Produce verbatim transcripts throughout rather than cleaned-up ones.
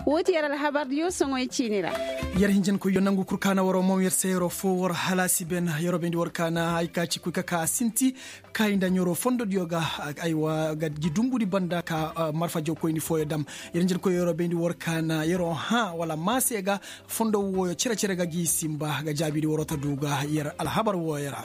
Woo ti yer alhabardiyo soŋoy ciini ra. Yer hinjankoyyo nangu kul ka na waroo moŋ yer se yeroo foo war halaasi ben. Yeroo bayndi war ka na ay ka ci koy ka ka a sinti kaayi nda ɲeroo fondodiyo ga. Aywa ga gi dumbudi banda ka marfa jawkoyni fooyo dam. Yer hinjankoyyo yeroo bayndi war ka na yeroo hã wala maa se ga fondo wooyo cere-cere ga gi simba ga jaabidi waroo ta du ga yer alhabar wooyo ra.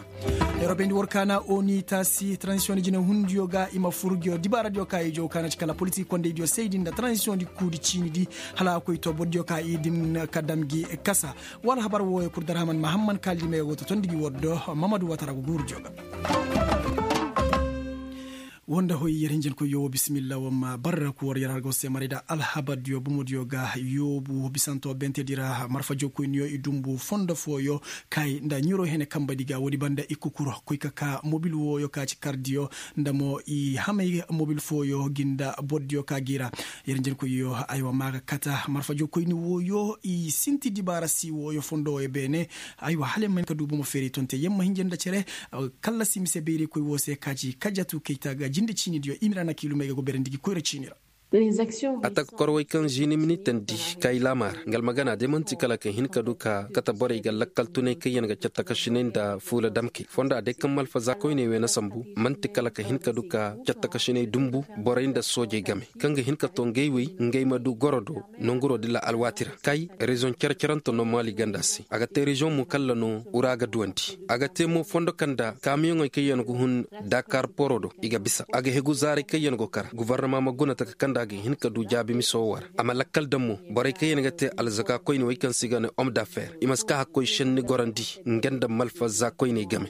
Yeroo bayndi war ka na oni taasi transisiyoŋ di jinehundiyo ga i ma fur ngiyo dibaaradiyo ka i jaw ka na ci kala politik kondeydiyo saydi nda transisiyoŋ di kuudi ciini di hala a koy to bordiyo ka i din ka dam gi kasa. Wa alhabar wooyo kul darhaman mahamman kaalidimey go totondi gi war do. Mamadu watara go guurudiyo ga. Woo nda hoy yer hinjankoyyo woo bisimilla woo ma barra ku war yer har go se maray da alhabardiyo bomodiyo ga yoobu bisanto bentedi ra marfa jawkoyniyo i dumbu fondo fooyo kaayi nda ɲiroo hene kambadi ga woodi banda i kukuro koy ka ka mobil wooyo ka ci kardiyo nda mo i hamay mobil fooyo gi nda bordiyo ka gi ra. Yer hinjankoyyo aywa maa ga kata marfa jawkoyni wooyo i sinti dibaara si wooyo fondo wooyo beene. Aywa hala yer ma hin ka du bomo feeri tonte yer ma hinja nda cere kallasi mise bayraykoy woo se ka ci kajatu kayta ga jinde ciinidiyo i ma ra na kiilumey ga go berandi gi koyra ciini ra. A taka korwey kaŋ žini minitandi kay laamaara nga almagana day man'ti kala ka hin ka du ka kate borey ga lakkal tunay kaŋyaŋ ga cattakasinay nda fuula damkey fonda day kaŋ malfaza koyney wey na sambu man'ti kala ka hin ka du ka cattakasinay dumbu borey nda soojey game kaŋ ga hin ka to ngey wey ngey ma du goro do nonguro dilla alwaati ra kay reziyoŋ cere-cerante no maali ganda se a ga te reziyoŋ mo kalla no ura ga duwandi a ga te mo fondo kaŋ nda kaamiyoŋey kaŋyaŋ ga hun dakar poro do i ga bisa a ga hegu zaaray kaŋ yaŋ go kara gobornoma ma guna taka kaŋ nda a ga hin ka du jaabi miso wo ra a ma lakkal daŋ mo borey kaŋ yaŋ ga te alzaka koyne wey kaŋ se i ga ne hom dafer i ma si ka hakkoy šenni gorandi nga nda malfazza koyney game.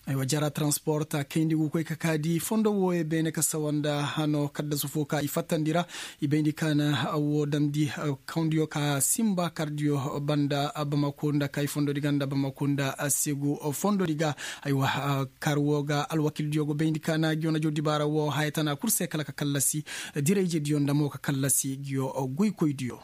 Aywa jara transport a kayndi ga koy ka kaadi fondo wooyo beene ka sawa nda hano kaddasu fo ka i fattandi ra. I bayndi ka na woo damndi kawndiyo ka simba kardiyo banda bamako nda kay fondodi ga nda bamako nda segu fondodi ga. Aywa kar woo ga alwakildiyo go bayndi ka na ngiyo na jaw dibaara woo haya tana kul se kala ka kallasi dirayjediyo nda mo ka kallasi ngiyo goykoydiyo.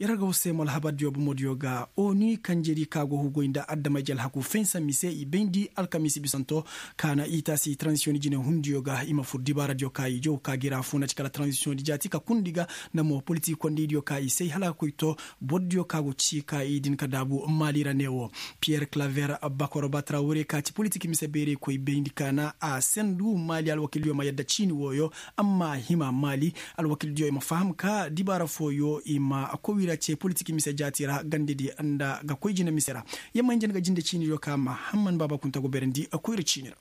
Yer ga woo se mo alhabardiyo bomodiyo ga oni kanjedi ka go hugoy nda adamay jalhaku fensa mise i bayndi alkamiisi bisanto ka na i taasi transisiyoŋ jinehundiyo ga i ma fur dibaaradiyo ka i jaw ka gi ra funa ci kala transisiyoŋ di jaati ka kundi ga nda mo politik kondeydiyo ka i say hala ka koy to bordiyo ka go ci ka i din ka daabu maali ra ne woo. Piyer klaver bakoroba trawre ka ci politik mise beerey koy bayndi ka na a sendu maali alwakildiyo ma yadda ciini wooyo amma a hima maali alwakildiyo i ma faham ka dibaara fooyo i ma koyra ce politik mise jaati ra gandedi nda ga koy jina mise ra. Yamma hinja nga jinde ciinidiyo ka mahamman baaba kunta go beerandi koyra ciini ra.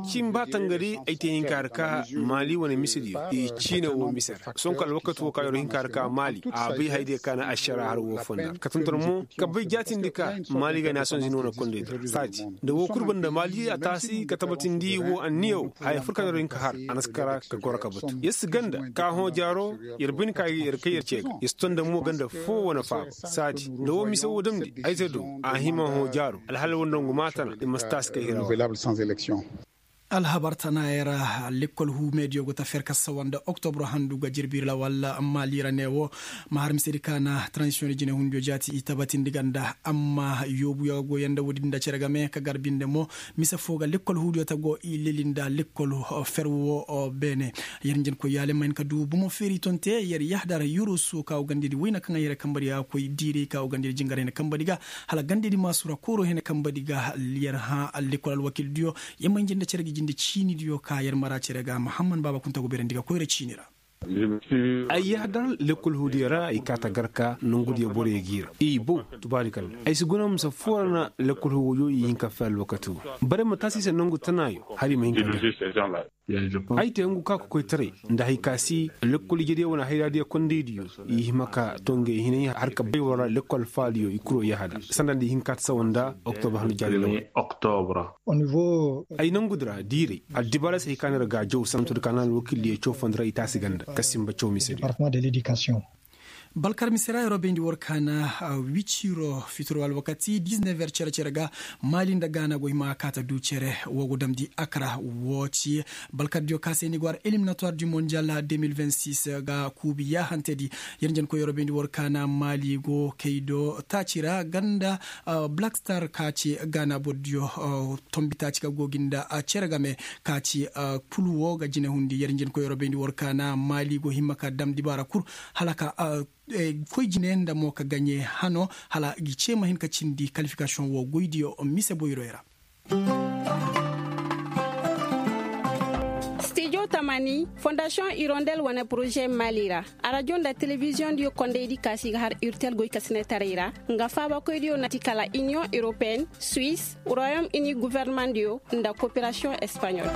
Cimba tangari ay te hinka har ka maali wane mise diyo i ciine wo mise ra sonko alwakati wo ka yoro hinka har ka maali a bay haydiyo ka na ašara har wo fonda ka tonton mo ka bay jaatindi ka maali ga naasiyoŋ zini wane kondey do saadi nda wo kul banda maali a taasi ka tabatindi wo anniya wo haya fur ka na yoro hinka har a na si kara ka goro ka batu yer si ganda ka hõ jaaro yer bay ni ka yer kay yer ce ga yer si tonda mo ganda foo wane faaba saadi nda wo mise wo damndi ay te do a hima hõ jaaro alhala wo nda ngu maatana i ma si taasi kay hira wo. Alhabar tana yer lekkol huumeediyo go ta fer ka sawa nda oktobro handu ga jirbi lawal maali ra ne wo. Ma har misedi ka na transisiyoŋ jinehundiyo jaati i tabatindi ga nda amma yoobuyo ga goyanda woodi nda cere game ka gar binde mo mise foo ga lekkol huudiyo ta go i leli nda lekkol fer wo beene. Yer njenkoy yaale ma hin ka du bomo feeri tonte yer yahdar yurusu ka go gandedi woyna kaŋ ay yer kambadi a koy diiray ka go gandedi jingar hene kambadi ga hala gandedi maasura kooro hene kambadi ga yer hã lekkol alwakildiyo. Yer ma hin jinde cere ga jinde ciinidiyo ka yer mara cere ga mahamman baaba kunta go beerandi ga koyra ciini ra. Ay yahdar lekkol huudiyo ra i kaa ta gar ka nongudiyo borey g'i ra i bow tubaari kalla ay si guna misa foo ra na lekkol huudiyo i hin ka fee alwakati wo. Bare ma taasi se nongu tanaayo hala i ma hin ka gar. Ay te ngu ka kokoytaray nda hay ka si lekkol ijediyo wane hayraadiyo kondaydiyo i hima ka to ngey hinay har ka bay war ra lekkol faaliyo i kuro yahada sanda nda i hin ka ta sawa nda oktobre handu jaari law. Ay nangudi ra diiray addibaarey se hay ka no ir ga a jaw sanda to di ka na alwakildiyo cawfandi ra i taasi ganda ka simba caw misedi. Balkar mise ra yeroo bayndi war kaana wiciro fitir wala wakati diz never cere cere ga, maali nda gaana go hima kaata du cere woo go damndi akra. Woo ci balkar diyo ka se ni go har eliminatoir du mondial de mil vingt six ga kuubi yaahantedi. Yer njenkoy yeroo bayndi war kaana maali go kaydo taaci ra ganda black star ka ci gaana boro diyo tombi taaci ka go gi nda cere game ka ci pul woo ga jine hundi yer njenkoy yeroo bayndi war kaana maali go hima ka damndi baara kul hala ka koy jine nda mo ka gaɲe hano hala gi cee ma hin ka cindi kalifikasiyoŋ woo goydiyo mise boyroy ra. Stijo tamani fondasiyoŋ irondel wane poroze maali ra arajo nda telebiziyoŋ diyo kondaydi kaasi ga har urtel goy kasinetaray ra nga faabakoydiyo na ti kala iniyoŋ europeyen, suwis, royom ini gofornamaŋ diyo nda koperasiyoŋ espaɲol.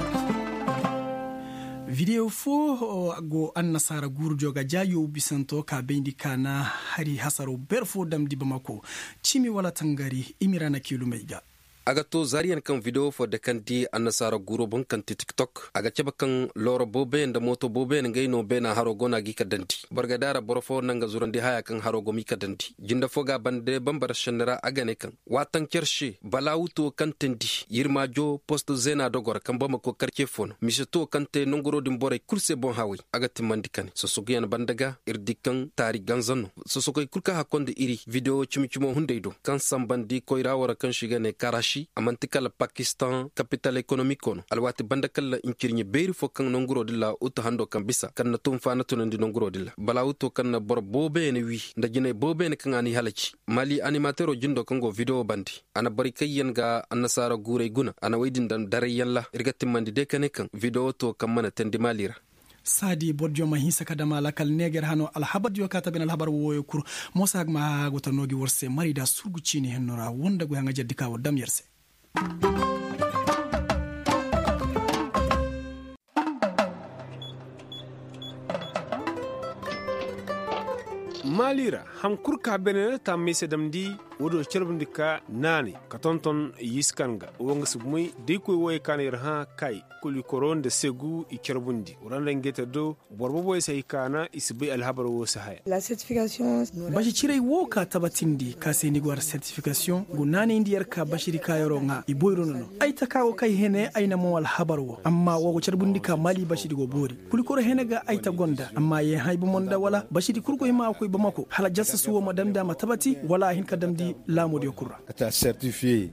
Videwo foo go annasaara guuru diyo ga ja yoobu bisanto ka bayndi ka na hari hasaro ber foo damndi bamako cimi wala tangari imira na kiilumey ga. A ga to zaariyaŋ kaŋ videwo foo dekandi annasaara guuro boŋ kaŋ ti tiktok a ga cabe kaŋ looro booboyaŋ nda mooto booboyaŋ ngey no beena haro go no a g'i ka dandi boro ga daara boro foo naŋ ga zurandi haya kaŋ haro go m'i ka dandi jinde foo ga a bande bambara šenni ra a ga ne kaŋ waataŋ cer se balaawu tuwo kaŋ teendi yirmaajo post zeena dogora kaŋ bamako karce foo no mise tuwo kaŋ te nanguroo din borey kul se boŋ hawey a ga timmandi kane sosoguyaŋ banda ga ir di kaŋ taari ganza no sosoguyaŋ kul kaŋ hakkondi iri videwo cimi-cimo hunday do kaŋ sambandi koyra wara kaŋ se i ga ne karaši a man'ti kala pakistan kapital ekonomiko no alwaati banda kala ncirɲe beeri fo kaŋ nanguroo din ra utu hando kaŋ bisa kaŋ na tunfa na tunandi nanguroo din ra balaawu tuwo kaŋ na boro booboyaŋ wi nda jinay booboyaŋ kaŋ a n'i halaci mali animateeroo jindoo kaŋ go videwo bande a na borey kaŋ yaŋ ga annasaara guurey guna a na wey din daŋ darayyaŋ ra ir ga timmandi day ka ne kaŋ videwo to kaŋ mana teendi maali ra. Saadi boro diyo ma hinsa ka dam a lakkal neeger hano alhabar diyo ka ta bine alhabar wooyo kul. Moosa hag ma haagu ta no gi war se marayda surgu ciini henno ra woo nda goy haŋajerdi ka war dam yer se. Maali ra, haŋ kul ka beene taamey se damndi. Woodiyo carbundi ka naanay ka tonton yiskan ga woo nga si bumey da i koy wooyey ka na yer hã kay kulikoro nda segu i carbundi wara nda ngey te do. Boro boboyey se hay ka na i si bay alhabar woo se haya. Basi ciray woo ka tabatindi ka se ni go har sertifikasiyoŋ go naanayndi yer ka basidi ka yeroo ŋaa i boyro no no. Ay ta ka go kay hene ay na moŋ alhabar woo amma woo go carbundi ka maali basidi go boori. Kulikoro hene ga ay ta gonda amma yee hã ay bomo nda wala basidi kul go hima a koy bamako hala jassas woo ma damndi a ma tabati wala a hin ka damndi laamoodiyo kul ra.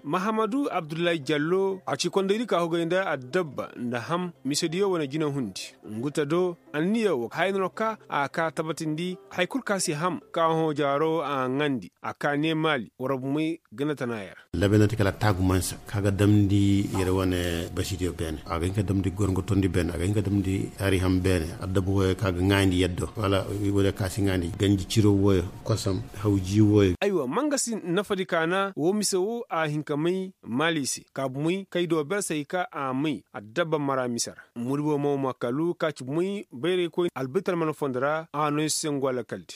Mahamadu abdullahi jallo a ci kondaydi ka hugay nda addabba nda ham misediyo wane jinahundi. Ngu ta do anniya woo haya no ka a ka tabatindi haya kul ka si ham ka hõ jaaro a ŋaandi a ka ne maali war bumey ganda tana yer. Labe no ti kala taagumansa ka ga damndi yer wane basidiyo beene a ga hin ka damndi gorŋo tondi beene a ga hin ka damndi hari ham beene addabba wooyo ka ga ŋaayandi yaddo wala wooyo ka si ŋaayandi ganji ciro wooyo kosam hawji wooyo. Aywa mangasi nafadi ka na woo mise woo a hin ka may maali se ka bumey kay do ber se hay ka a may addabba mara mise ra. Muribo maw ma kalu ka ci bumey bayraykoy albitar mana fondo ra a no ay se ngo alakaldi.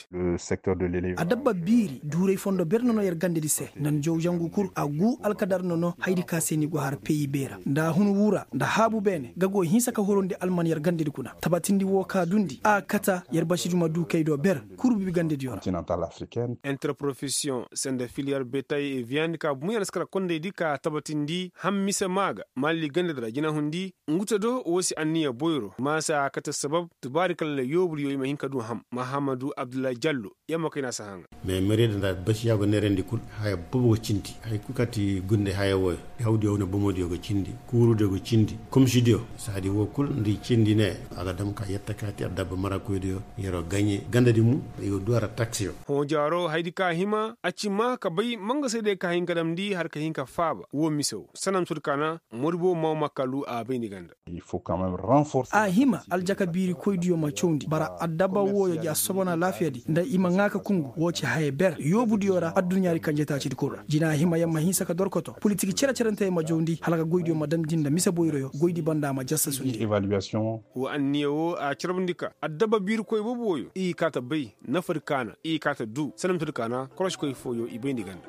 Adabba biiri duuray fondo ber nono yer gandedi se nda ni jaw jangu kul a gu alkadar nono haydi ka se ni go har peyi beera nda a hun wura nda haabu beene ga go hinsa ka horondi alman yer gandedi kuna tabatindi woo ka dundi a kata yer basidi ma du kay do ber kurbibi gandediyo ra. Interprofesiyoŋ sende filiyar betay e viyandi ka bumey a na si kala kondaydi ka tabatindi ham mise maa ga maali gandedi ra jinahundi. Ngu te do woo si anniya boyro maasa a kate sabab tubaari kala yoobudiyo i ma hin ka du ham mahamadu abdullahi jallo. Yamma kay na si haŋa. Mais merida nda basiya go neerandi kul haya boobo go cindi haya kul kaŋ ti gunde haya wooyo hawdiyo wane bomodiyo go cindi kuurudiyo go cindi komisidiyo saadi woo kul nda i cindi ne a ga dam ka yetta ka ti addabba marakoydiyo yeroo gaɲe gandadi mo i go du a ra taksiyo. Hõ jaaro haydi ka hima a ci maa ka bay mangasaydiyo ka hin ka damndi har ka hin ka faaba woo mise woo sanam sodi ka na moribo maw ma kalu a bay ni ganda. A hima aljaka biirikoydiyo ma cawndi bara addabba wooyo ja sobona laafiyadi nda i ma ŋaa ka kungu woo ci haya ber yoobudiyo ra adduɲaadi kanjetaacidi kul ra jina hima yer ma hinsa ka dorkoto politik cere-cerenteyo ma jawndi hala ka goydiyo ma damndi nda mise boyroyo goydi banda ma jassasundi. Woo anniya woo a carbundi ka addabba biirikoy boobo wooyo i kaa ta bay nafadi ka na i kaa ta du sanamtadi ka na korosikoy fooyo i bayndi ganda.